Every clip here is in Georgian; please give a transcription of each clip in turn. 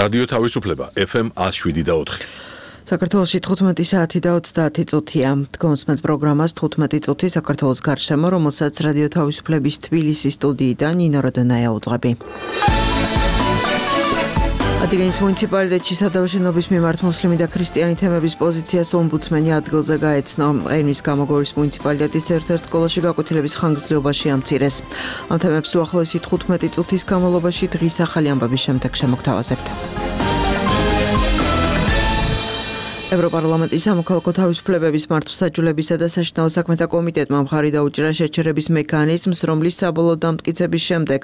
რადიო თავისუფლება FM 107.4. საქართველოში 15 საათი და 30 წუთია. დგომს მათ პროგრამას 15 წუთი საქართველოს გარშემო, რომელსაც რადიო თავისუფლების თბილისის სტუდიიდან ნინო როდონაია უძღვები. ადიგენის მუნიციპალიტეტში სადავშენობის მიმართ მუსლიმი და ქრისტიანი თემების პოზიციას ომბუდსმენი ადგილზე გაეცნო. ყირიმის გამოგორის მუნიციპალიტეტის ერთ-ერთ სკოლაში გაკვეთილების ხანგრძლივობაში ამცირეს. ამ თემებს უახლოესი 15 წუთის განმავლობაში დღის ახალი ამბების შემდეგ შემოგთავაზებთ. ევროპარლამენტის სამოქალაქო თავისუფლებების მართლმსაჯულებისა და საშინაო საქმეთა კომიტეტმა მხარი დაუჭირა შეჩერების მექანიზმს, რომლის საბოლოო დამტკიცების შემდეგ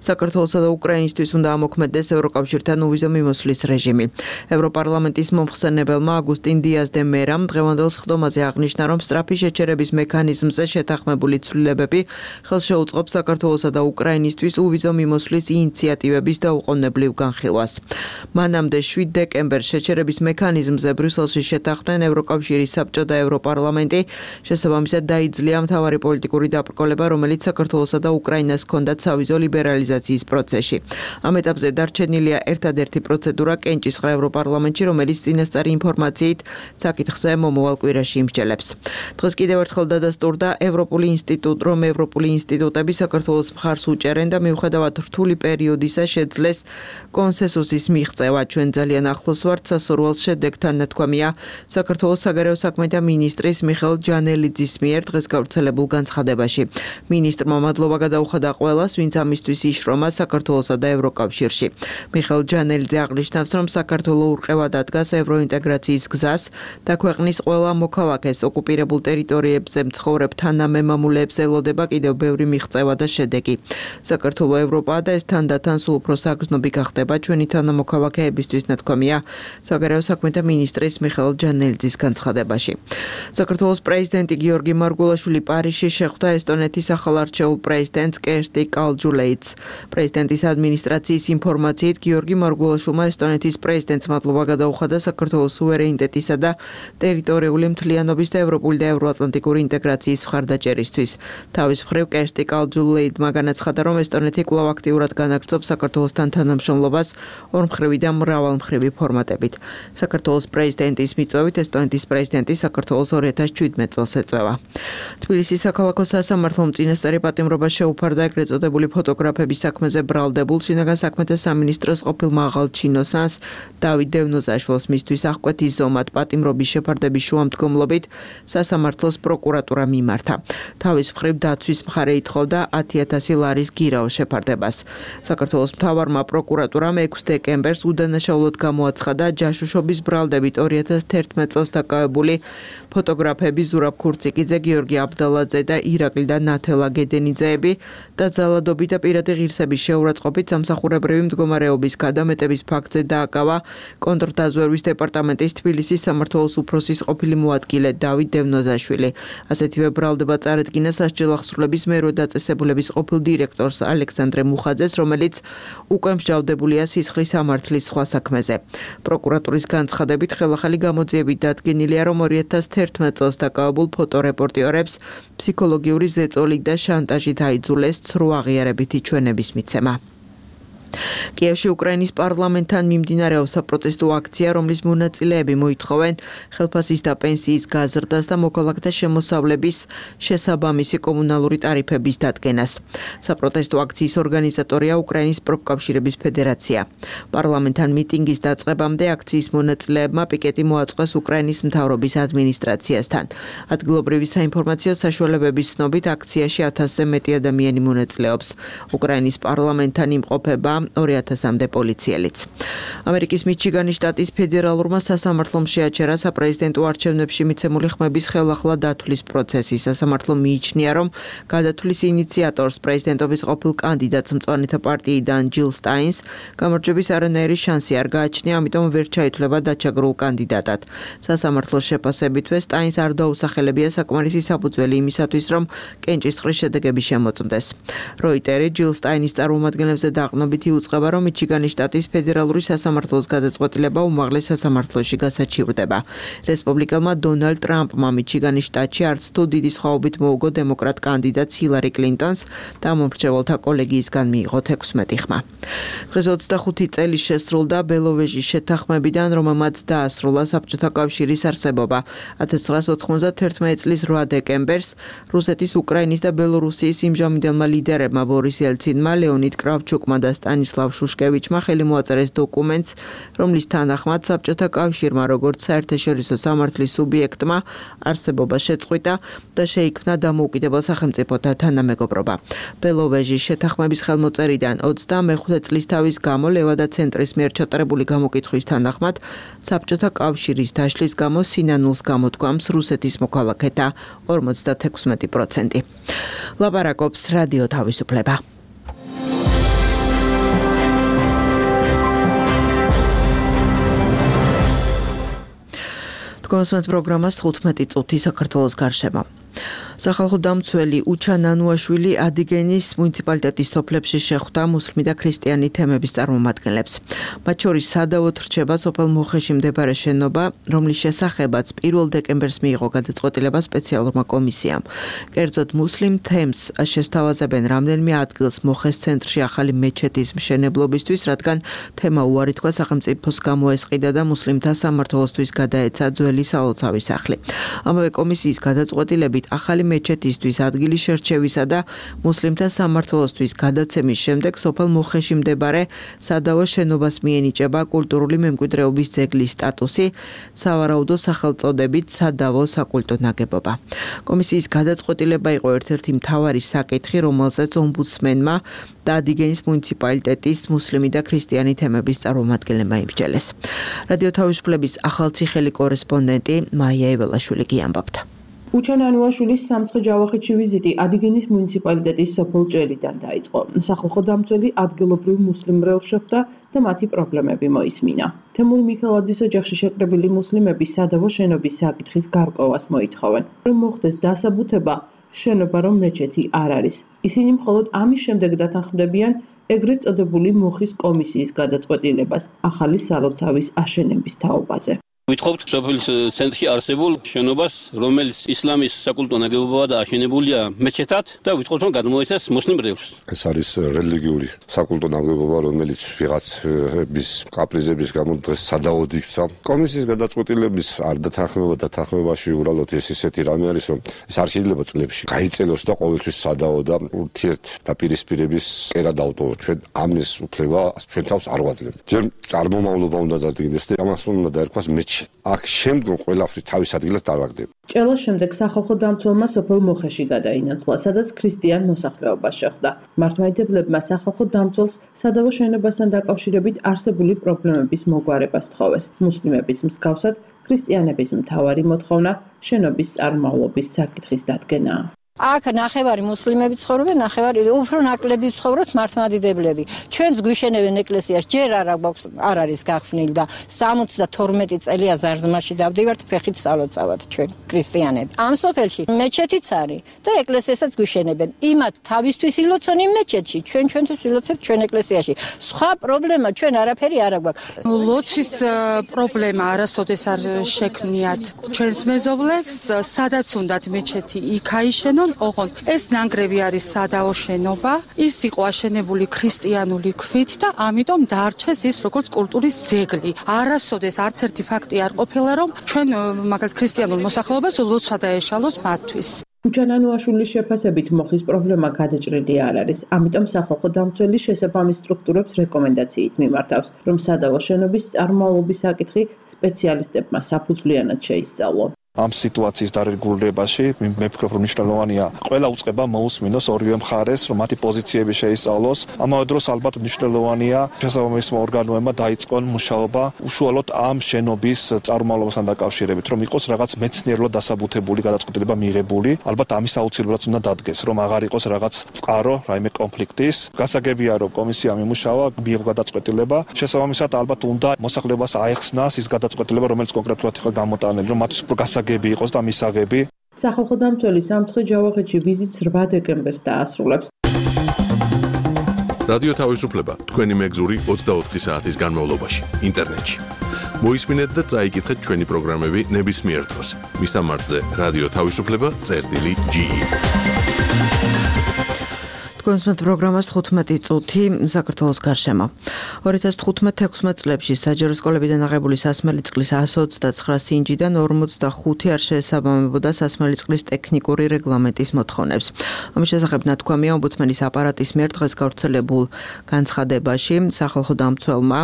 საქართველოსა და უკრაინისთვის უნდა ამოქმედდეს ევროკავშირთან უვიზო მიმოსვლის რეჟიმი. ევროპარლამენტის მომხსენებელმა აგუსტინ დიას დე მერამ დღევანდელ სხდომაზე აღნიშნა, რომ სწრაფი შეჩერების მექანიზმზე შეთანხმებული ცვლილებები ხელს შეუწყობს საქართველოსა და უკრაინისთვის უვიზო მიმოსვლის ინიციატივების დაუყოვნებლივ განხილვას. მანამდე 7 დეკემბერს შეჩერების მექანიზმზე ბრიუსელში შეთანხმდნენ ევროკავშირის საბჭო და ევროპარლამენტი. შესაბამისად დაიძლია მთავარი პოლიტიკური დაბრკოლება, რომელიც საქართველოსა და უკრაინას ჰქონდათ სავიზო ლიბერალიზაციის პროცესში. ამ ეტაპზე დარჩენილია ერთადერთი პროცედურა კენჭისყრა ევროპარლამენტში, რომელიც წინასწარი ინფორმაციით საკითხზე მომავალ კვირაში იმსჯელებს. დღეს კიდევ ერთხელ დადასტურდა ევროპული ინსტიტუტები საქართველოს მხარს უჭერენ და მიუხედავად რთული პერიოდისა შეძლეს კონსენსუსის მიღწევა. ჩვენ ძალიან ახლოს ვართ სასურველ შედეგთან, ნათქვამია საქართველოს საგარეო საქმეთა მინისტრის მიხეილ ჯანელიძის მიერ დღეს გავრცელებულ განცხადებაში. მინისტრმა მადლობა გადაუხადა ყველას, ვინც ამისთვის იშრომა საქართველოსა და ევროკავშირში. მიხეილ ჯანელიძე აღნიშნავს, რომ საქართველო ურყევად ადგას ევროინტეგრაციის გზას და ქვეყნის ყველა მოქალაქეს ოკუპირებულ ტერიტორიებზე მცხოვრებ თანამემამულეებს ელოდება კიდევ ბევრი მიღწევა და შედეგი. საქართველო ევროპაა და ეს თანდათან სულ უფრო საგრძნობი გახდება ჩვენი თანამოქალაქეებისთვის, ნათქვამია საგარეო საქმეთა მინისტრის მიხეილ ჯანელიძის განცხადებაში. საქართველოს პრეზიდენტი გიორგი მარგულაშვილი პარიზში შეხვდა ესტონეთის ახალარჩეულ პრეზიდენტს კერსტი კალჯულეიტს. პრეზიდენტის ადმინისტრაციის ინფორმაციით გიორგი მარგულაშვილმა ესტონეთის პრეზიდენტს მადლობა გადაუხადა საქართველოს სუვერენიტეტისა და ტერიტორიული მთლიანობის და ევროპული და ევროატლანტიკური ინტეგრაციის მხარდაჭერისთვის. თავის მხრივ კერსტი კალჯულეიტმა განაცხადა, რომ ესტონეთი კვლავ აქტიურად განაგრძობს საქართველოსთან თანამშრომლობას ორმხრივი და მრავალმხრივი ფორმატებით. საქართველოს პრეზიდენტის მიწვევით ესტონეთის პრეზიდენტი საქართველოს 2017 წელს ეწევა. თბილისის საქალაქო სასამართლომ წინასწარი პატიმრობა შეუფარდა ეგრეთ წოდებული ფოტოგრაფების საქმეზე ბრალდებულ შინაგან საქმეთა სამინისტროს ყოფილ მაღალ ჩინოსანს დავით დევნოზაშვილს მისთვის აღკვეთის ზომად პატიმრობის შეფარდების შუამდგომლობით სასამართლოს პროკურატურა მიმართა. თავის მხრივ დაცვის მხარე ითხოვდა 10,000 ლარის გირაოს შეფარდებას. საქართველოს მთავარმა პროკურატურამ 6 დეკემბერს უდანაშაულოდ გამოაცხადა ჯაშუშობის ბრალდებით 2011 წელს დაკავებული ფოტოგრაფები ზურაბ ქურციკიძე, გიორგი აბდალაძე და ირაკლი და ნათელა გედენიძეები და ძალადობით და პირადი ღირსების შეურაცხყოფით სამსახურებრივი მდგომარეობის გადამეტების ფაქტზე დააკავა კონტრდაზვერვის დეპარტამენტის თბილისის სამმართველოს უფროსის ყოფილი მოადგილე დავით დევნოზაშვილი. ასეთივე ბრალდება წარედგინა სასჯელ აღსრულების მერვე დაწესებულების ყოფილ დირექტორს ალექსანდრე მუხაძეს, რომელიც უკვე მსჯავრდებულია სისხლის სამართლის სხვა საქმეზე. პროკურატურის განცხადებით ხელახალი გამოძიებით დადგენილია, რომ 2011 წელს დაკავებულ ფოტორეპორტიორებს ფსიქოლოგიური ზეწოლით და შანტაჟით აიძულეს ცრუ აღიარებითი ჩვენების მიცემა. კიევში უკრაინის პარლამენტთან მიმდინარეობს საპროტესტო აქცია, რომლის მონაწილეები მოითხოვენ ხელფასის და პენსიის გაზრდას და მოქალაქეთა შემოსავლების შესაბამისი კომუნალური ტარიფების დადგენას. საპროტესტო აქციის ორგანიზატორია უკრაინის პროფკავშირების ფედერაცია. პარლამენტთან მიტინგის დაწყებამდე აქციის მონაწილეებმა პიკეტი მოაწყვეს უკრაინის მთავრობის ადმინისტრაციასთან. ადგილობრივი საინფორმაციო საშუალებების ცნობით აქციაში 1000-ზე მეტი ადამიანი მონაწილეობს. უკრაინის პარლამენტთან იმყოფება 2000-მდე პოლიციელიც. ამერიკის მიჩიგანის შტატის ფედერალურმა სასამართლომ შეაჩერა საპრეზიდენტო არჩევნებში მიცემული ხმების ხელახლა დათვლის პროცესი. სასამართლო მიიჩნია, რომ გადათვლის ინიციატორს პრეზიდენტობის ყოფილ კანდიდატს მწვანეთა პარტიიდან ჯილ სტაინს გამარჯვების არანაირი შანსი არ გააჩნია, ამიტომ ვერ ჩაითვლება დაჩაგრულ კანდიდატად. სასამართლოს შეფასებითვე სტაინს არ დაუსახელებია საკმარისი საფუძველი იმისათვის, რომ კენჭისყრის შედეგები შემოწმდეს. როიტერი ჯილ სტაინის წარმომადგენლებზე დაყრდნობით ისეთი უწყება, რომ მიჩიგანის შტატის ფედერალური სასამართლოს გადაწყვეტილება უმაღლეს სასამართლოში გასაჩივრდება. რესპუბლიკელმა დონალდ ტრამპმა მიჩიგანის შტატში არც თუ დიდი სხვაობით მოუგო დემოკრატ კანდიდატს ჰილარი კლინტონს და მომრჩეველთა კოლეგიისგან მიიღო 16 ხმა. დღეს 25 წელი შესრულდა ბელოვეჟის შეთანხმებიდან, რომელმაც დაასრულა საბჭოთა კავშირის არსებობა. 1991 წლის 8 დეკემბერს რუსეთის, უკრაინის და ბელორუსიის იმჟამინდელმა ლიდერებმა ბორის ელცინმა, ლეონიდ კრავჩუკმა და სტანისლავ შუშკევიჩმა ხელი მოაწერეს დოკუმენტს, რომლის თანახმად საბჭოთა კავშირმა როგორც საერთაშორისო სამართლის სუბიექტმა არსებობა შეწყვიტა და შეიქმნა დამოუკიდებელ სახელმწიფოთა თანამეგობრობა. ბელოვეჟის შეთანხმების ხელმოწერიდან 25 წლის თავის გამო ლევადა ცენტრის მიერ ჩატარებული გამოკითხვის თანახმად საბჭოთა კავშირის დაშლის გამო სინანულს გამოთქვამს რუსეთის მოქალაქეთა 56%. ლაპარაკობს რადიო თავისუფლება. კონსულტ პროგრამას 15 წუთი საქართველოს გარშემო. სახალხო დამცველი უჩა ნანუაშვილი ადიგენის მუნიციპალიტეტის სოფლებში შეხვდა მუსლიმი და ქრისტიანი თემების წარმომადგენლებს. მათ შორის სადავოდ რჩება სოფელ მოხეში მდებარე შენობა, რომლის შესახებაც 1 დეკემბერს მიიღო გადაწყვეტილება სპეციალურმა კომისიამ. კერძოდ მუსლიმ თემს შესთავაზებენ რამდენიმე ადგილს მოხეს ცენტრში ახალი მეჩეთის მშენებლობისთვის, რადგან თემა უარი თქვა სახელმწიფოს გამოესყიდა და მუსლიმთა სამმართველოსთვის გადაეცა ძველი სალოცავი სახლი. ამავე კომისიის გადაწყვეტილებით ახალი მეჩეთისთვის ადგილი შერჩევისა და მუსლიმთა სამმართველოსთვის გადაცემის შემდეგ სოფელ მოხეში მდებარე სადავო შენობას მიენიჭება კულტურული მემკვიდრეობის ძეგლის სტატუსი, სავარაუდო სახელწოდებით სადავო საკულტო ნაგებობა. კომისიის გადაწყვეტილება იყო ერთ-ერთი მთავარი საკითხი, რომელზეც ომბუდსმენმა და ადიგენის მუნიციპალიტეტის მუსლიმი და ქრისტიანი თემების წარმომადგენლებმა იმსჯელეს. რადიო თავისუფლების ახალციხელი კორესპონდენტი მაია ეველაშვილი გიამბობდა. უჩა ნანუაშვილის სამცხე ჯავახეთში ვიზიტი ადიგენის მუნიციპალიტეტის სოფელ ჭელიდან დაიწყო. სახალხო დამცველი ადგილობრივ მუსლიმ მრევლს შეხვდა და მათი პრობლემები მოისმინა. თემურ მიქელაძის ოჯახში შეკრებილი მუსლიმები სადავო შენობის საკითხის გარკვევას მოითხოვენ, რომ მოხდეს დასაბუთება შენობა რომ მეჩეთი არ არის. ისინი მხოლოდ ამის შემდეგ დათანხმდებიან ეგრეთ წოდებული მოხის კომისიის გადაწყვეტილებას ახალი სალოცავის აშენების თაობაზე. Ვითხოვთ სოფლის ცენტრში არსებულ შენობას, რომელიც ისლამის საკულტო ნაგებობაა და აშენებულია მეჩეთად და ვითხოვთ რომ გადმოეცეს მუსლიმ მრევლს. ეს არის რელიგიური საკულტო ნაგებობა, რომელიც ვიღაცების კაპრიზების გამო დღეს სადავოდ იქცა. კომისიის გადაწყვეტილების არ დათანხმება და თანხმებაში უბრალოდ ეს ისეთი რამე არის, რომ ეს არ შეიძლება წლებში გაიწელოს და ყოველთვის სადავო და ურთიერთდაპირისპირების კერა დავტოვო. ჩვენ ამის უფლება ჩვენ თავს არ ვაძლევთ. ჯერ წარმომავლობა უნდა დადგინდეს და ამას უნდა დაერქვას მეჩეთი. აქ შემდგომ ყველაფერი თავის ადგილას დაალაგდება. ჭელას შემდეგ სახალხო დამცველმა სოფელ მოხეში გადაინაცვლა, სადაც ქრისტიან მოსახლეობას შეხვდა. მართლმადიდებლებმა სახალხო დამცველს სადავო შენობასთან დაკავშირებით არსებული პრობლემების მოგვარებას თხოვეს. მუსლიმების მსგავსად, ქრისტიანების მთავარი მოთხოვნა შენობის წარმავლობის საკითხის დადგენაა. აქ ნახევარი მუსლიმები ცხოვრობენ, ნახევარი უფრო ნაკლები ცხოვრობთ მართლმადიდებლები. ჩვენს გვიშენებენ ეკლესიას, ჯერ არ არის გახსნილი და 72 წელია ზარზმაში დავდივართ ფეხით სალოცავად ჩვენ ქრისტიანები. ამ სოფელში მეჩეთიც არის და ეკლესიასაც გვიშენებენ. იმათ თავისთვის ილოცონ იმ მეჩეთში, ჩვენთვის ილოცებთ ჩვენ ეკლესიაში. სხვა პრობლემა ჩვენ არაფერი არ აქვს. ლოცვის პრობლემა არასოდეს არ შექმნიათ ჩვენს მეზობლებს, სადაც უნდათ მეჩეთი იქ აიშენონ. ოღონდ ეს ნანგრევი არის სადავო შენობა, ის იყო აშენებული ქრისტიანული ქვით და ამიტომ დაარჩეს ის როგორც კულტურის ძეგლი. არასოდეს არც ერთი ფაქტი არ ყოფილა, რომ ჩვენ მაგალითად ქრისტიანულ მოსახლეობას ლოცვა დაეშალოს მათთვის. უჩა ნანუაშვილის შეფასებით მოხის პრობლემა გადაჭრილი არ არის, ამიტომ სახალხო დამცველი შესაბამის სტრუქტურებს რეკომენდაციით მიმართავს, რომ სადავო შენობის წარმავლობის საკითხი სპეციალისტებმა საფუძვლიანად შეისწავლონ. ამ სიტუაციის დარეგულირებაში მე ვფიქრობ, რომ მნიშვნელოვანია ყველა უწყება მოусმინოს ორივე მხარეს, რომ მათი პოზიციები შეისწავლოს. ამავე დროს ალბათ მნიშვნელოვანია შესაბამის ორგანოებმა დაიწყონ მუშაობა უშუალოდ ამ შენობის წარმომავლობასთან დაკავშირებით, რომ იყოს რაღაც მეცნიერულად დასაბუთებული გადაწყვეტილება მიღებული. ალბათ ამის აუცილებლად უნდა დადგეს, რომ აღარ იყოს რაღაც წყარო, რაიმე კონფლიქტის. გასაგებია, რომ კომისიამ იმუშავა, მიიღო გადაწყვეტილება. შესაბამისად ალბათ უნდა მოსახლეობას აეხსნას ის გადაწყვეტილება, რომელიც კონკრეტულად იყო გამოტანილი, რომ მათთვის უფრო გასაგები იყოს და მისაღები. სახალხო დამცველი სამცხე ჯავახეთში ვიზიტს 8 დეკემბერს დაასრულებს. რადიო თავისუფლება თქვენი მეგზური 24 საათის განმავლობაში ინტერნეტში. მოისმინეთ და წაიკითხეთ ჩვენი პროგრამები ნებისმიერ დროს. მისამართზე რადიო თავისუფლება.ge კონსმეთ პროგრამას 15 წუთი საქართველოს გარშემო. 2015-16 წლებში საჯარო სკოლებიდან აღებული სასმელი წყლის 129 სინჯიდან 45 არ შეესაბამებოდა სასმელი წყლის ტექნიკური რეგლამენტის მოთხოვნებს. ამის შესახებ ნათქვამია ომბუდსმენის აპარატის მიერ დღეს გავრცელებულ განცხადებაში. სახალხო დამცველმა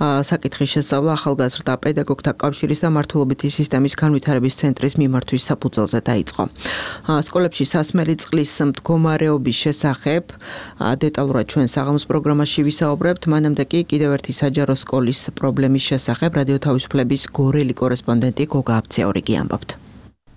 საკითხის შესწავლა ახალგაზრდა პედაგოგთა კავშირის და მართლობითი სისტემის განვითარების ცენტრის მიმართვის საფუძველზე დაიწყო. სკოლებში სასმელი წყლის მდგომარეობის შესახებ დეტალურად ჩვენ საღამოს პროგრამაში ვისაუბრებთ. მანამდე კი კიდევ ერთი საჯარო სკოლის პრობლემის შესახებ რადიო თავისუფლების გორელი კორესპონდენტი გოგა აბციაურიგი ამბობთ.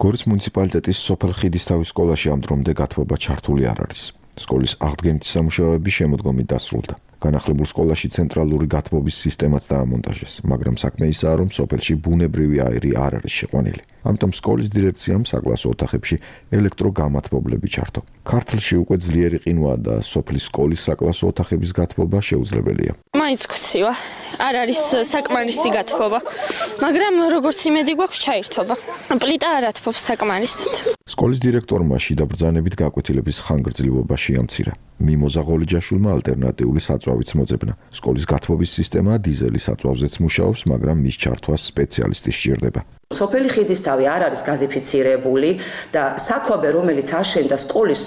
გორის მუნიციპალიტეტის სოფელ ხიდისთავის სკოლაში ამ დრომდე გათბობა ჩართული არ არის. სკოლის აღდგენითი სამუშაოები შემოდგომით დასრულდა. განახლებულ სკოლაში ცენტრალური გათბობის სისტემაც დაამონტაჟეს, მაგრამ საქმე ისაა, რომ სოფელში ბუნებრივი აირი არ არის შეყვანილი. ამიტომ სკოლის დირექციამ საკლასო ოთახებში ელექტროგამათბობლები ჩართო. ქართლში უკვე ძლიერი ყინვაა და სოფლის სკოლის საკლასო ოთახების გათბობა შეუძლებელია. მაინც გცივა, არ არის საკმარისი გათბობა, მაგრამ როგორც იმედი გვაქვს ჩაირთობა. პლიტა არ ათბობს საკმარისად. სკოლის დირექტორმა შიდა ბრძანებით გაკვეთილების ხანგრძლივობა შეამცირა. მიმოზა ღოლიჯაშვილმა ალტერნატიული საწვავიც მოძებნა. სკოლის გათბობის სისტემა დიზელის საწვავზეც მუშაობს, მაგრამ მის ჩართვას სპეციალისტი სჭირდება. სოფელი ხიდისთავი არ არის გაზიფიცირებული და საქვაბე, რომელიც აშენდა სკოლის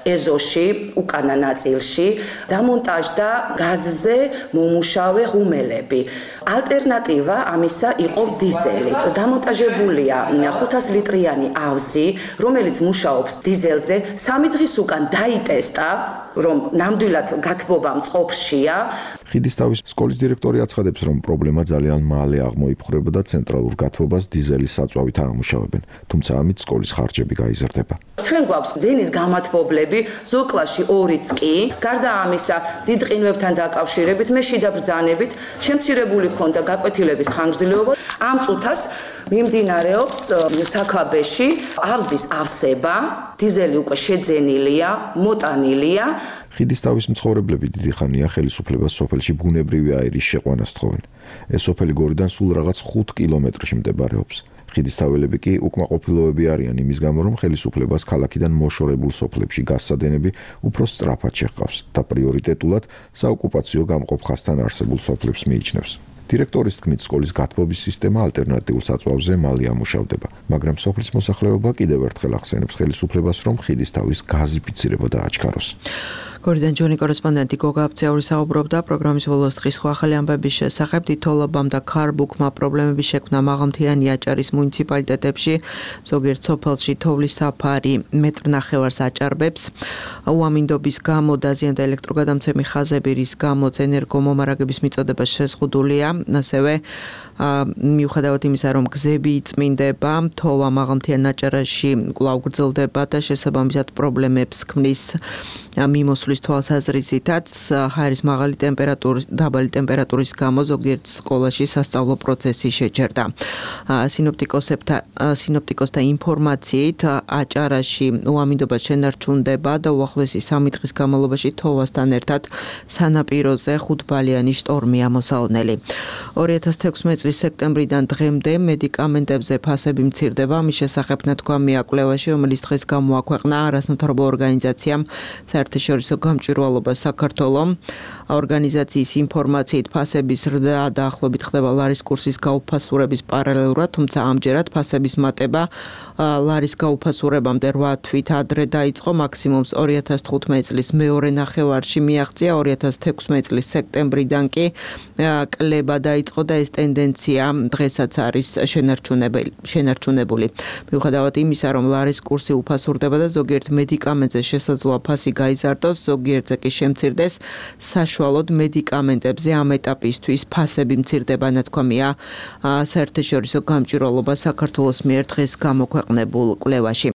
ეზოში, უკანა ნაწილში, დამონტაჟდა გაზზე მომუშავე ღუმელები. ალტერნატივა ამისა იყო დიზელი. დამონტაჟებულია 500 ლიტრიანი ავზი, რომელიც მუშაობს დიზელზე. 3 დღის უკან დაიტესტა, რომ ნამდვილად გათბობა მწყობრშია. ხიდისთავის სკოლის დირექტორი აცხადებს, რომ პრობლემა ძალიან მალე აღმოიფხვრება და ცენტრალურ გათბობას დიზელის საწვავით აამუშავებენ, თუმცა ამით სკოლის ხარჯები გაიზრდება. ჩვენ გვაქვს დენის გამათბობლები, ზოკლაში 2-ც კი. გარდა ამისა, დიდ ყინვებთან დაკავშირებით მე შიდა ბრძანებით შემცირებული ჰქონდა გაკვეთილების ხანგრძლივობა. ამ წუთას მიმდინარეობს საქვაბეში ავზის ავსება, დიზელი უკვე შეძენილია, მოტანილია. ხიდისთავის მცხოვრებლები დიდი ხანია ხელისუფლებას სოფელში ბუნებრივი აირის შეყვანას თხოვენ. ეს სოფელი გორიდან სულ რაღაც 5 კილომეტრში მდებარეობს. ხიდისთაველები კი უკმაყოფილოები არიან იმის გამო, რომ ხელისუფლებას ქალაქიდან მოშორებულ სოფლებში გასცადენები უფრო სწრაფად შეჰყავს და პრიორიტეტულად საოკუპაციო გამყოფ ხაზთან არსებულ სოფლებს მიიჩნევს. დირექტორის თქმით, სკოლის გათბობის სისტემა ალტერნატიულ საწვავზე მალე ამუშავდება, მაგრამ სოფლის მოსახლეობა კიდევ ერთხელ ახსენებს ხელისუფლებას, რომ ხიდისთავის გაზიფიცირება დააჩქაროს. გორიდან ჯონი კორესპონდენტი გოგა აბციაური საუბრობდა პროგრამის ბოლოს დღის ახალი ამბების შესახებ. თითოეულობამ და ქარბუქმა პრობლემების შექმნა მაღალმთიანი აჭარის მუნიციპალიტეტებში, ზოგიერთ სოფელში თოვლის საფარი მეტრ ნახევარს აჭარბებს. უამინდობის გამო დაზიანდა ელექტროგადამცემი ხაზები, რის გამოც ენერგომომარაგების მიწოდება შეზღუდულია. ასევე მიუხედავად იმისა, რომ გზები იწმინდება, თოვა მაღალმთიან აჭარაში კვლავ გრძელდება და შესაბამისად პრობლემებს ქმნის მიმოსვლის თვალსაზრისითაც ჰაერის დაბალი ტემპერატურის გამო ზოგიერთ სკოლაში სასწავლო პროცესი შეჩერდა. სინოპტიკოსთა ინფორმაციით აჭარაში უამინდობა შენარჩუნდება და უახლოესი 3 დღის განმავლობაში თოვასთან ერთად სანაპიროზე 5-ბალიანი შტორმია მოსალოდნელი. 2016 წლის სექტემბრიდან დღემდე მედიკამენტებზე ფასები მცირდება. ამის შესახებ ნათქვამია კვლევაში, რომელიც დღეს გამოაქვეყნა არასამთავრობო ორგანიზაციამ საერთაშორისო გამჭვირვალობა საქართველოს. ორგანიზაციის ინფორმაციით ფასების ზრდა დაახლოებით ხდება ლარის კურსის გაუფასურების პარალელურად, თუმცა ამჯერად ფასების მატება ლარის გაუფასურებამდე 8 თვით ადრე დაიწყო. მაქსიმუმს 2015 წლის მეორე ნახევარში მიაღწია, 2016 წლის სექტემბრიდან კი კლება დაიწყო და ეს ტენდენცია დღესაც არის შენარჩუნებული. მიუხედავად იმისა, რომ ლარის კურსი უფასურდება და ზოგიერთ მედიკამენტზე შესაძლოა ფასი გაიზარდოს, ზოგიერთზე კი შემცირდეს, საშუალოდ მედიკამენტებზე ამ ეტაპისთვის ფასები მცირდება, ნათქვამია საერთაშორისო გამჭვირვალობა საქართველოს მიერ დღეს გამოქვეყნებულ კვლევაში.